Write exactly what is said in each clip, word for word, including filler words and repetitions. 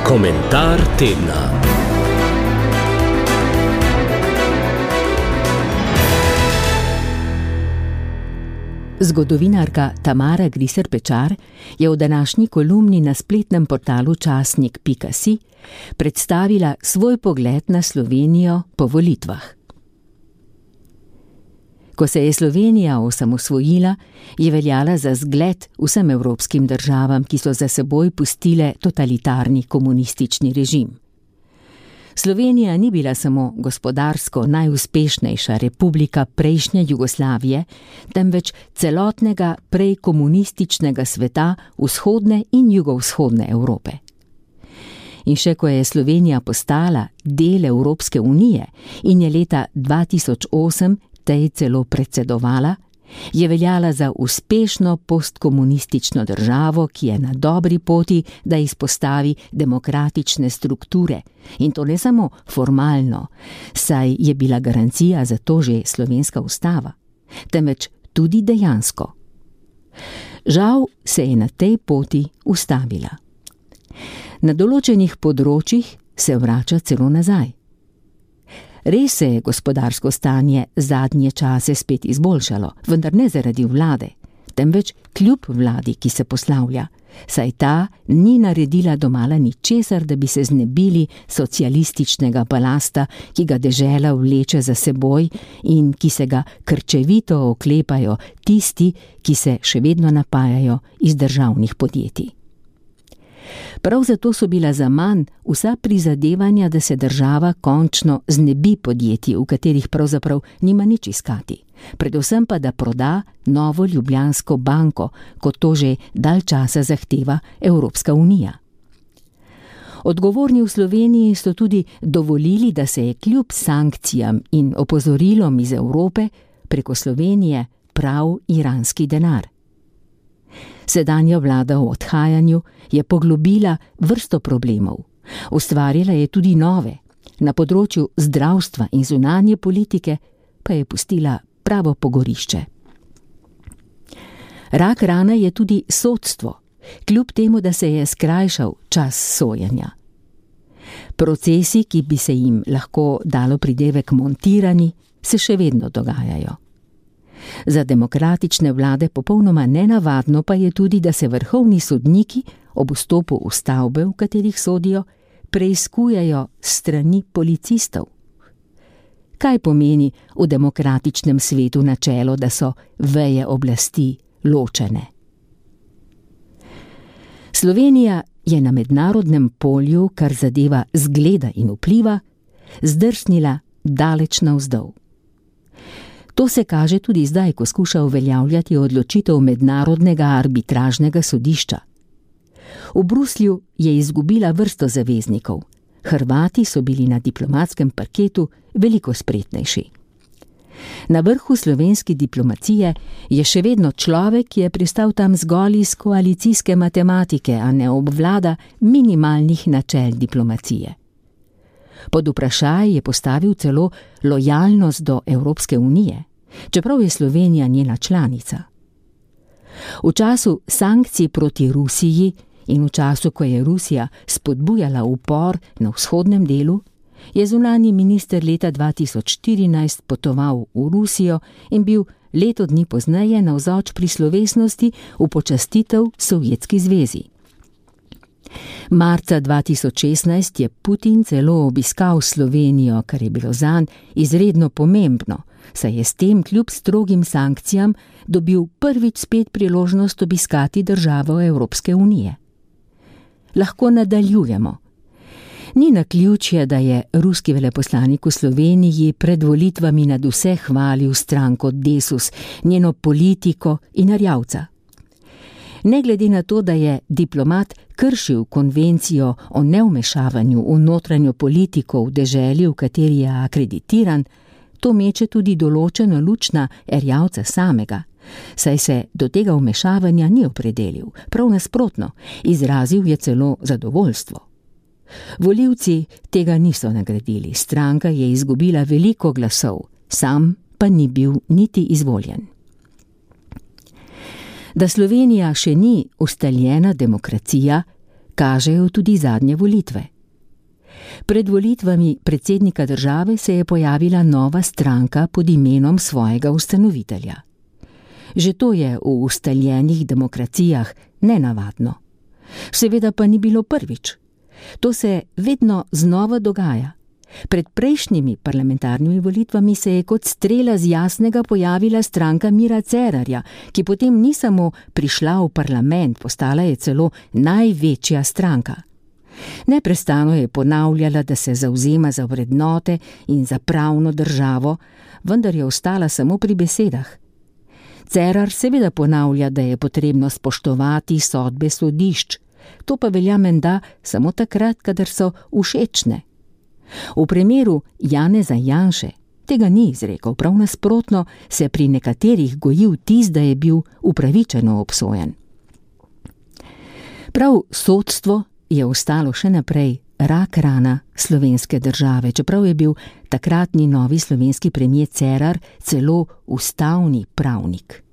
Komentar tedna. Zgodovinarka Tamara Griser Pečar je v današnji kolumni na spletnem portalu časnik pika si predstavila svoj pogled na Slovenijo po volitvah. Ko se je Slovenija osamosvojila, je veljala za zgled vsem evropskim državam, ki so za seboj pustile totalitarni komunistični režim. Slovenija ni bila samo gospodarsko najuspešnejša republika prejšnje Jugoslavije, temveč celotnega prej komunističnega sveta vzhodne in jugovzhodne Evrope. In še ko je Slovenija postala del Evropske unije in je leta dva tisoč osem tej celo predsedovala, je veljala za uspešno postkomunistično državo, ki je na dobri poti, da izpostavi demokratične strukture. In to ne samo formalno, saj je bila garancija za to že slovenska ustava, temveč tudi dejansko. Žal se je na tej poti ustavila. Na določenih področjih se vrača celo nazaj. Res se je gospodarsko stanje zadnje čase spet izboljšalo, vendar ne zaradi vlade, temveč kljub vladi, ki se poslavlja, saj ta ni naredila domala ničesar, da bi se znebili socialističnega balasta, ki ga dežela vleče za seboj in ki se ga krčevito oklepajo tisti, ki se še vedno napajajo iz državnih podjetij. Prav zato so bila zaman vsa prizadevanja, da se država končno znebi podjetij, v katerih pravzaprav nima nič iskati, predvsem pa da proda Novo Ljubljansko banko, kot to že dalj časa zahteva Evropska unija. Odgovorni v Sloveniji so tudi dovolili, da se je kljub sankcijam in opozorilom iz Evrope preko Slovenije prav iranski denar. Sedanja vlada v odhajanju je poglobila vrsto problemov, ustvarila je tudi nove, na področju zdravstva in zunanje politike pa je pustila pravo pogorišče. Rak rana je tudi sodstvo, kljub temu, da se je skrajšal čas sojenja. Procesi, ki bi se jim lahko dalo pridevek montirani, se še vedno dogajajo. Za demokratične vlade popolnoma nenavadno pa je tudi, da se vrhovni sodniki ob vstopu v stavbe, v katerih sodijo, preiskujejo strani policistov. Kaj pomeni v demokratičnem svetu načelo, da so veje oblasti ločene? Slovenija je na mednarodnem polju, kar zadeva zgleda in vpliva, zdrsnila daleč navzdol. To se kaže tudi zdaj, ko skuša uveljavljati odločitev mednarodnega arbitražnega sodišča. V Bruslju je izgubila vrsto zaveznikov. Hrvati so bili na diplomatskem parketu veliko spretnejši. Na vrhu slovenske diplomacije je še vedno človek, ki je pristal tam zgolj iz koalicijske matematike, a ne obvlada minimalnih načel diplomacije. Pod vprašaj je postavil celo lojalnost do Evropske unije, čeprav je Slovenija njena članica. V času sankcij proti Rusiji in v času, ko je Rusija spodbujala upor na vzhodnem delu, je zunanji minister leta dva tisoč štirinajst potoval v Rusijo in bil leto dni pozneje navzoč pri slovesnosti v počastitev Sovjetski zvezi. Marca dva tisoč šestnajst je Putin celo obiskal Slovenijo, kar je bilo zanj izredno pomembno, saj je s tem kljub strogim sankcijam dobil prvič spet priložnost obiskati državo Evropske unije. Lahko nadaljujemo. Ni naključje, da je ruski veleposlanik v Sloveniji pred volitvami nadvse hvalil stranko Desus, njeno politiko in Erjavca. Ne glede na to, da je diplomat kršil konvencijo o nevmešavanju v notranjo politiko v deželi, v kateri je akreditiran, to meče tudi določeno luč na Erjavca samega, saj se do tega vmešavanja ni opredelil, prav nasprotno, izrazil je celo zadovoljstvo. Volivci tega niso nagradili, stranka je izgubila veliko glasov, sam pa ni bil niti izvoljen. Da Slovenija še ni ustaljena demokracija, kažejo tudi zadnje volitve. Pred volitvami predsednika države se je pojavila nova stranka pod imenom svojega ustanovitelja. Že to je v ustaljenih demokracijah nenavadno. Seveda pa ni bilo prvič. To se vedno znova dogaja. Pred prejšnjimi parlamentarnimi volitvami se je kot strela z jasnega pojavila stranka Mira Cerarja, ki potem ni samo prišla v parlament, postala je celo največja stranka. Neprestano je ponavljala, da se zavzema za vrednote in za pravno državo, vendar je ostala samo pri besedah. Cerar seveda ponavlja, da je potrebno spoštovati sodbe sodišč, to pa velja menda samo takrat, kadar so všečne. V primeru Janeza Janše tega ni izrekel, prav nasprotno se pri nekaterih goji vtis, da je bil upravičeno obsojen. Prav sodstvo je ostalo še naprej rak rana slovenske države, čeprav je bil takratni novi slovenski premier Cerar celo ustavni pravnik.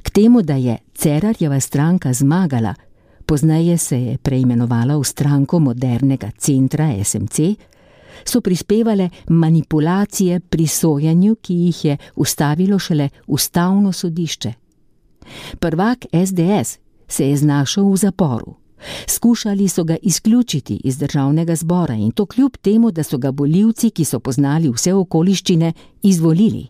K temu, da je Cerarjeva stranka zmagala, pozneje se je preimenovala v stranko modernega centra S M C, so prispevale manipulacije pri sojenju, ki jih je ustavilo šele ustavno sodišče. Prvak S D S se je znašel v zaporu. Skušali so ga izključiti iz državnega zbora in to kljub temu, da so ga volivci, ki so poznali vse okoliščine, izvolili.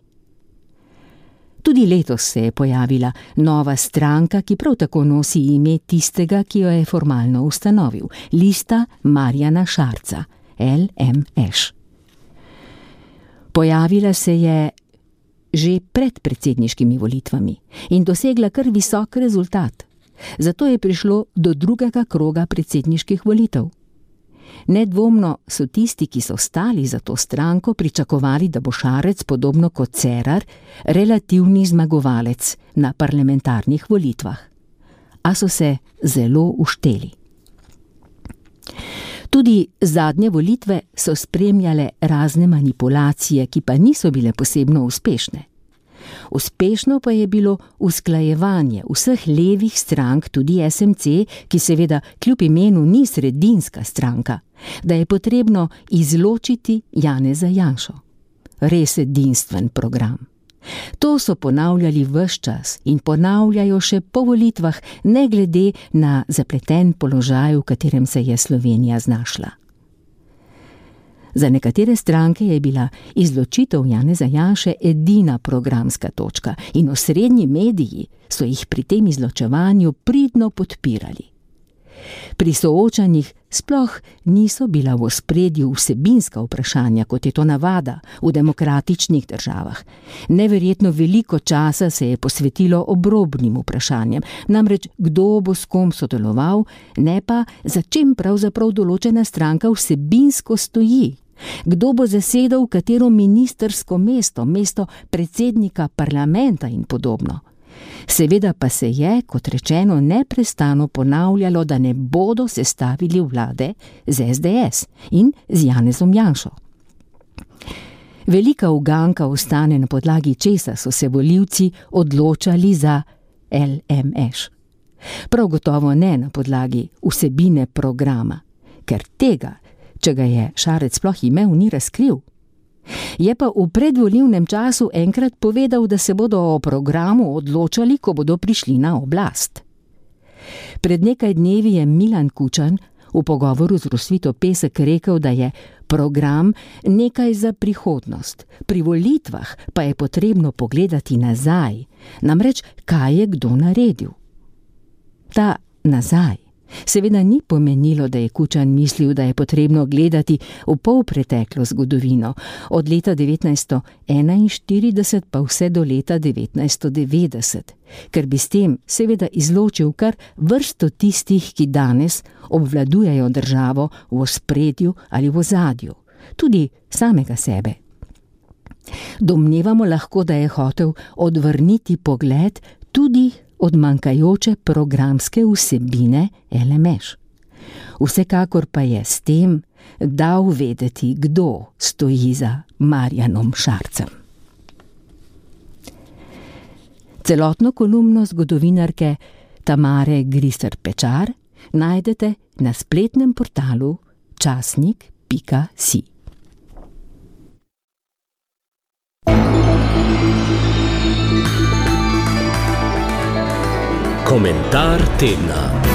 Tudi letos se je pojavila nova stranka, ki prav tako nosi ime tistega, ki jo je formalno ustanovil, Lista Marjana Šarca, L M Š. Pojavila se je že pred predsedniškimi volitvami in dosegla kar visok rezultat. Zato je prišlo do drugega kroga predsedniških volitev. Nedvomno so tisti, ki so stali za to stranko, pričakovali, da bo Šarec, podobno kot Cerar, relativni zmagovalec na parlamentarnih volitvah. A so se zelo ušteli. Tudi zadnje volitve so spremljale razne manipulacije, ki pa niso bile posebno uspešne. Uspešno pa je bilo usklajevanje vseh levih strank, tudi S M C, ki seveda kljub imenu ni sredinska stranka, da je potrebno izločiti Janeza Janšo. Res edinstven program. To so ponavljali ves čas in ponavljajo še po volitvah, ne glede na zapleten položaj, v katerem se je Slovenija znašla. Za nekatere stranke je bila izločitev Janeza Janše edina programska točka in osrednji mediji so jih pri tem izločevanju pridno podpirali. Pri soočanjih sploh niso bila v ospredju vsebinska vprašanja, kot je to navada v demokratičnih državah. Neverjetno veliko časa se je posvetilo obrobnim vprašanjem, namreč kdo bo s kom sodeloval, ne pa za čim pravzaprav določena stranka vsebinsko stoji. Kdo bo zasedal katero ministrsko mesto, mesto predsednika parlamenta in podobno. Seveda pa se je, kot rečeno, neprestano ponavljalo, da ne bodo sestavili vlade z S D S in z Janezom Janšo. Velika uganka ostane, na podlagi česa so se volivci odločali za L M Š. Prav gotovo ne na podlagi vsebine programa, ker tega, če ga je Šarec sploh imel, ni razkril. Je pa v predvolilnem času enkrat povedal, da se bodo o programu odločali, ko bodo prišli na oblast. Pred nekaj dnevi je Milan Kučan v pogovoru z Rosvito Pesek rekel, da je program nekaj za prihodnost. Pri volitvah pa je potrebno pogledati nazaj, namreč kaj je kdo naredil. Ta nazaj seveda ni pomenilo, da je Kučan mislil, da je potrebno gledati v polpreteklo zgodovino, od leta devetnajststo enainštirideset pa vse do leta devetnajststo devetdeset, ker bi s tem seveda izločil kar vrsto tistih, ki danes obvladujejo državo v ospredju ali v ozadju, tudi samega sebe. Domnevamo lahko, da je hotel odvrniti pogled tudi od manjkajoče programske vsebine L M Š. Vsekakor pa je s tem dal vedeti, kdo stoji za Marjanom Šarcem. Celotno kolumno zgodovinarke Tamare Griser Pečar najdete na spletnem portalu časnik pika si. Komentar tedna.